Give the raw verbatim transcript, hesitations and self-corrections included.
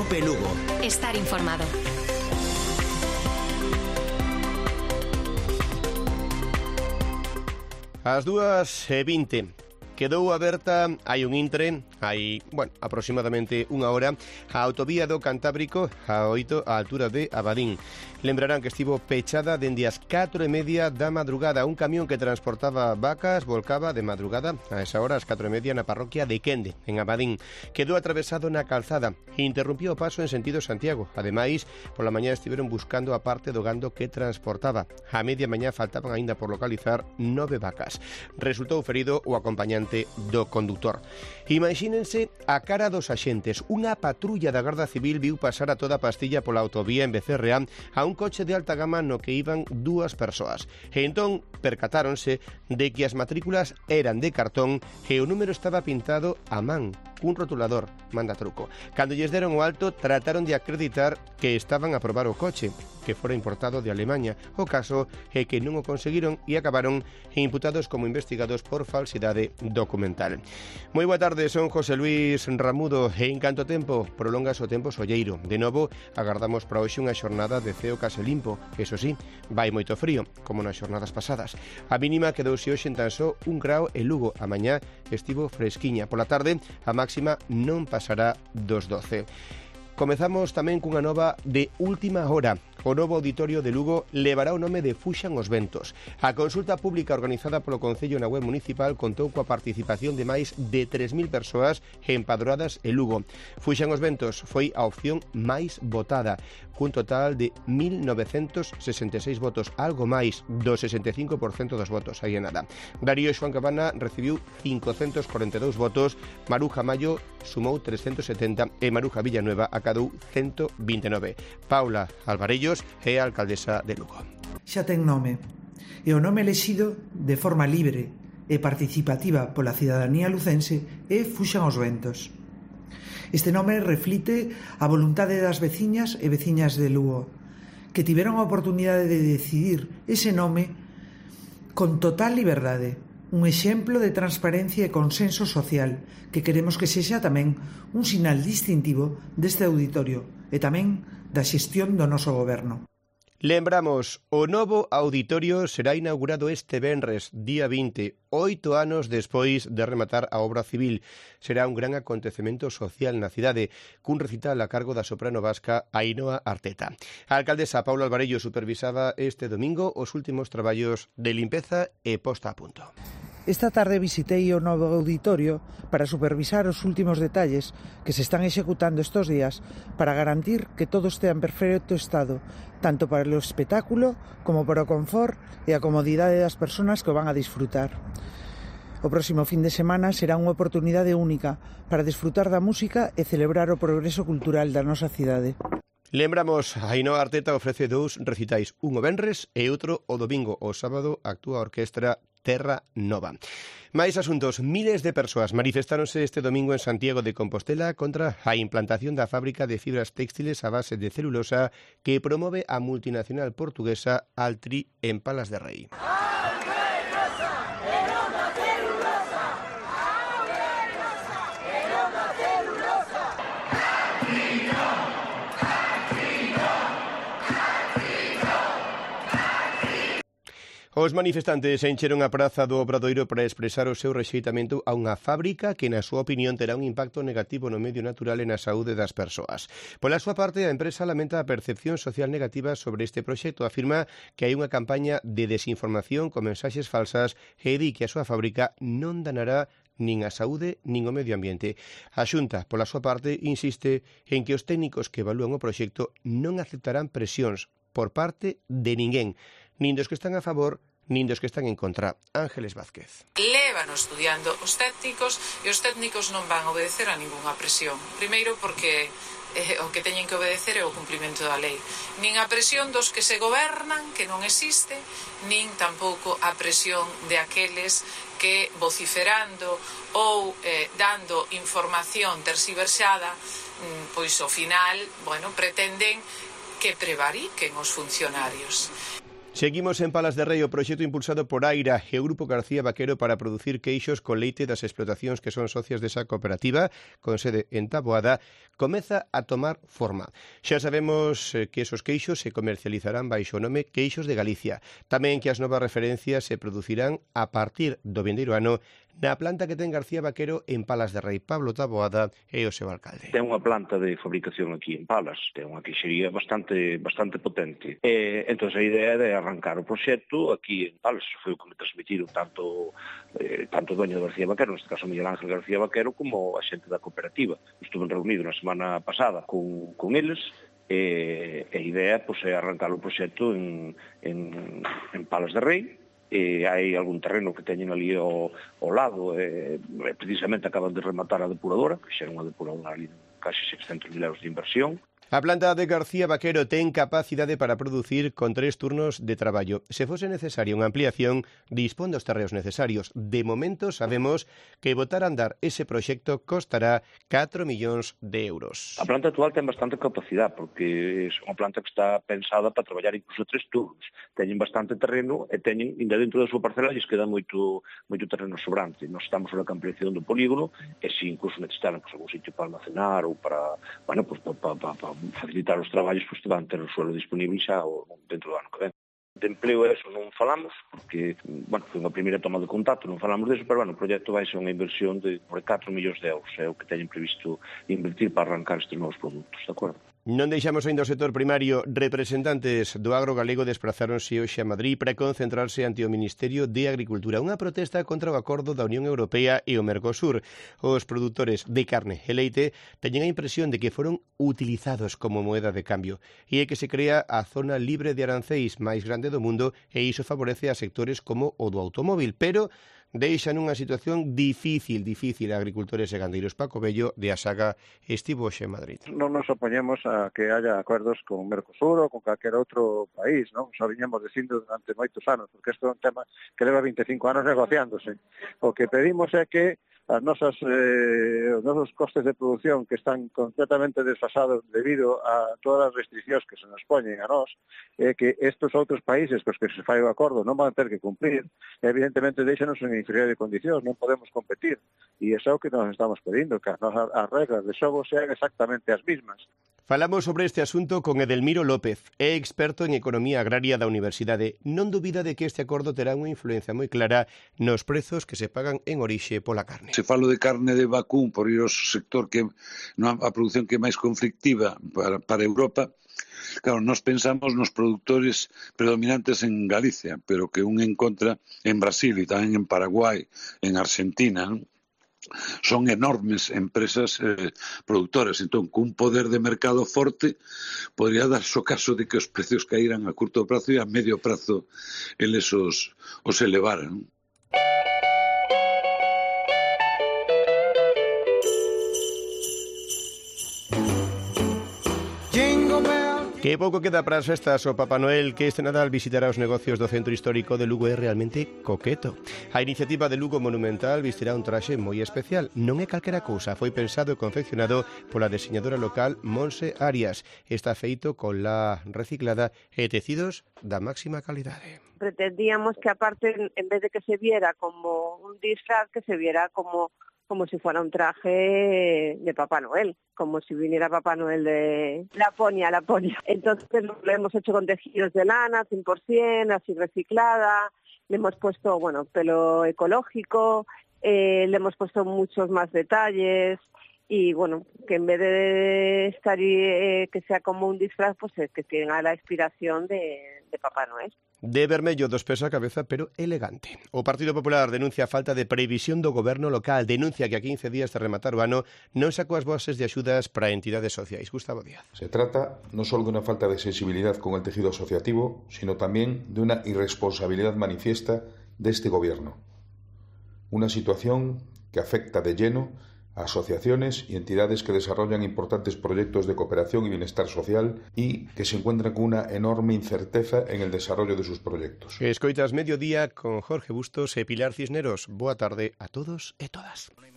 Cope Lugo. Estar informado. Ás dúas e vinte. Quedou aberta hai un intre, hai, bueno, aproximadamente unha hora, a autovía do Cantábrico a oito a altura de Abadín. Lembrarán que estivo pechada dende as catro e media da madrugada. Un camión que transportaba vacas volcaba de madrugada a esa hora, as catro e media, na parroquia de Quende, en Abadín. Quedou atravesado na calzada e interrumpiu o paso en sentido Santiago. Ademais, pola mañá estiveron buscando a parte do gando que transportaba. A media mañá faltaban aínda por localizar nove vacas. Resultou ferido o acompañante do condutor. Imagínense a cara dos axentes. Unha patrulla da Garda Civil viu pasar a toda pastilla pola autovía en Becerreá a un coche de alta gama no que iban dúas persoas. E entón percatáronse de que as matrículas eran de cartón e o número estaba pintado a man, cun rotulador, manda truco. Cando lles deron o alto, trataron de acreditar que estaban a probar o coche, que fora importado de Alemaña. O caso é que non o conseguiron e acabaron imputados como investigados por falsidade documental. Moi boa tarde, son José Luis Ramudo e en canto tempo prolongas o tempo solleiro. De novo, agardamos para hoxe unha xornada de ceo case limpo. Eso sí, vai moito frío, como nas xornadas pasadas. A mínima quedouse hoxe en tan só un grao en Lugo. A mañá estivo fresquiña. Pola tarde, a máxima non pasará dos doce. Comezamos tamén cunha nova de última hora. O novo auditorio de Lugo levará o nome de Fuxan os Ventos. A consulta pública organizada polo Concello na web municipal contou coa participación de máis de tres mil persoas empadroadas en Lugo. Fuxan os Ventos foi a opción máis votada, cun total de mil novecentos sesenta e seis votos, algo máis do sesenta e cinco por cento dos votos, aí é nada. Darío Xoán Cabana recibiu cincocentos corenta e dous votos, Maruja Mayo sumou trescentos setenta e Maruja Villanueva acadou ciento vinte e nove. Paula Alvarellos é a alcaldesa de Lugo. Xa ten nome, e o nome elexido de forma libre e participativa pola cidadanía lucense é Fuxan os Ventos. Este nome reflite a voluntade das veciñas e veciñas de Lugo, que tiveron a oportunidade de decidir ese nome con total liberdade, un exemplo de transparencia e consenso social que queremos que sexa tamén un sinal distintivo deste auditorio e tamén da xestión do noso goberno. Lembramos, o novo auditorio será inaugurado este venres, día vinte, oito anos despois de rematar a obra civil. Será un gran acontecemento social na cidade, cun recital a cargo da soprano vasca Ainhoa Arteta. A alcaldesa Paula Alvarello supervisaba este domingo os últimos traballos de limpeza e posta a punto. Esta tarde visitei o novo auditorio para supervisar os últimos detalles que se están executando estes días para garantir que todo estea en perfecto estado, tanto para o espectáculo como para o confort e a comodidade das persoas que o van a disfrutar. O próximo fin de semana será unha oportunidade única para disfrutar da música e celebrar o progreso cultural da nosa cidade. Lembramos, Ainhoa Arteta ofrece dous recitais, un o venres e outro o domingo. O sábado actúa a orquestra Terra Nova. Máis asuntos. Miles de persoas manifestáronse este domingo en Santiago de Compostela contra a implantación da fábrica de fibras téxtiles a base de celulosa que promove a multinacional portuguesa Altri en Palas de Rei. Os manifestantes encheron a praza do Obradoiro para expresar o seu rexeitamento a unha fábrica que, na súa opinión, terá un impacto negativo no medio natural e na saúde das persoas. Pola súa parte, a empresa lamenta a percepción social negativa sobre este proxecto. Afirma que hai unha campaña de desinformación con mensaxes falsas e di que a súa fábrica non danará nin a saúde nin o medio ambiente. A Xunta, pola súa parte, insiste en que os técnicos que evalúan o proxecto non aceptarán presións por parte de ninguén, nin dos que están a favor, nin dos que están en contra. Ángeles Vázquez. Lévano estudiando os técnicos e os técnicos non van a obedecer a ningunha presión. Primeiro porque eh, o que teñen que obedecer é o cumprimento da lei. Nin a presión dos que se gobernan, que non existe, nin tampouco a presión de aqueles que vociferando ou eh, dando información terxiversada, pois ao final, bueno, pretenden que prevariquen os funcionarios. Seguimos en Palas de Rei, o proxecto impulsado por Aira e o Grupo García Vaquero para producir queixos con leite das explotacións que son socias desa cooperativa, con sede en Taboada, comeza a tomar forma. Xa sabemos que esos queixos se comercializarán baixo o nome Queixos de Galicia. Tamén que as novas referencias se producirán a partir do vindeiro ano na planta que ten García Vaquero en Palas de Rei. Pablo Taboada é o seu alcalde. Ten unha planta de fabricación aquí en Palas, ten unha queixería bastante bastante potente. E, entón, a idea é arrancar o proxecto aquí en Palas. Foi o que me transmitiron tanto eh, tanto o dueño de García Vaquero, neste caso Miguel Ángel García Vaquero, como a xente da cooperativa. Estuve reunido na semana pasada con, con eles, e a idea pois, é arrancar o proxecto en, en, en Palas de Rei. E hai algún terreno que teñen ali ao, ao lado, e, precisamente acaban de rematar a depuradora, que xa é unha depuradora ali de casi seiscentos mil euros de inversión. A planta de García Vaquero ten capacidade para producir con tres turnos de traballo. Se fose necesaria unha ampliación, dispón dos terreos necesarios. De momento sabemos que botar a andar ese proxecto costará catro millóns de euros. A planta actual ten bastante capacidade, porque é unha planta que está pensada para traballar incluso tres turnos. Teñen bastante terreno e teñen, ainda dentro da súa parcela, lles queda moito, moito terreno sobrante. Nós estamos na ampliación do polígono, e se incluso necesitaran pues, algún sitio para almacenar ou para, bueno, pues, para, para, para, para facilitar os traballos, pois van ter o suelo disponible xa dentro do ano que ven. De empleo eso non falamos, porque, bueno, foi unha primeira toma de contacto, non falamos deso, pero, bueno, o proxecto vai ser unha inversión de por catro millóns de euros, é o que teñen previsto invertir para arrancar estes novos produtos, de acordo? Non deixamos ainda o sector primario. Representantes do agro galego desprazáronse hoxe a Madrid para concentrarse ante o Ministerio de Agricultura. Unha protesta contra o acordo da Unión Europea e o Mercosur. Os produtores de carne e leite teñen a impresión de que foron utilizados como moeda de cambio e é que se crea a zona libre de aranceis máis grande do mundo e iso favorece a sectores como o do automóvil, pero deixan unha situación difícil, difícil a agricultores e gandeiros. Paco Bello, de Asaga, estivo hoxe en Madrid. Non nos opoñemos a que haya acordos con Mercosur ou con calquer outro país, non? Xa viñemos dicindo durante moitos anos, porque isto é un tema que leva vinte e cinco anos negociándose. O que pedimos é que as nosas, eh, os nosos costes de producción que están completamente desfasados debido a todas as restriccións que se nos poñen a nós, é eh, que estes outros países cos que se fai o acordo non van ter que cumprir, evidentemente deixanos en inferior de condicións, non podemos competir, e iso é o que nos estamos pedindo, que as, nosas, as reglas de xogo sean exactamente as mismas. Falamos sobre este asunto con Edelmiro López, é experto en economía agraria da Universidade. Non dubida de que este acordo terá unha influencia moi clara nos prezos que se pagan en orixe pola carne. Se falo de carne de vacún por ir ao sector que non a produción que é máis conflictiva para, para Europa, claro, nós pensamos nos produtores predominantes en Galicia, pero que un encontra en Brasil e tamén en Paraguai, en Argentina, non? Son enormes empresas eh, produtoras, entón, cun poder de mercado forte podría darse o caso de que os precios caíran a curto prazo e a medio prazo eles os, os elevaran. Que pouco queda para as festas. O Papá Noel que este Nadal visitará os negocios do centro histórico de Lugo é realmente coqueto. A iniciativa de Lugo Monumental vestirá un traxe moi especial. Non é calquera cousa, foi pensado e confeccionado pola deseñadora local Monse Arias. Está feito con la reciclada e tecidos da máxima calidade. Pretendíamos que aparte, en vez de que se viera como un disfraz, que se viera como como si fuera un traje de Papá Noel, como si viniera Papá Noel de Laponia, Laponia. Entonces lo hemos hecho con tejidos de lana, cien por ciento, así reciclada, le hemos puesto, bueno, pelo ecológico, eh, le hemos puesto muchos más detalles y, bueno, que en vez de estar eh, que sea como un disfraz, pues es que tenga la inspiración de, de Papá Noel. De vermello dos pés a cabeza, pero elegante. O Partido Popular denuncia a falta de previsión do goberno local. Denuncia que a quince días de rematar o ano non sacou as bases de axudas para entidades sociais. Gustavo Díaz. Se trata no solo de una falta de sensibilidad con el tejido asociativo, sino también de una irresponsabilidad manifiesta de este gobierno. Una situación que afecta de lleno a asociaciones y entidades que desarrollan importantes proyectos de cooperación y bienestar social y que se encuentran con una enorme incerteza en el desarrollo de sus proyectos. Escoitas Mediodía con Jorge Bustos e Pilar Cisneros. Boa tarde a todos e todas.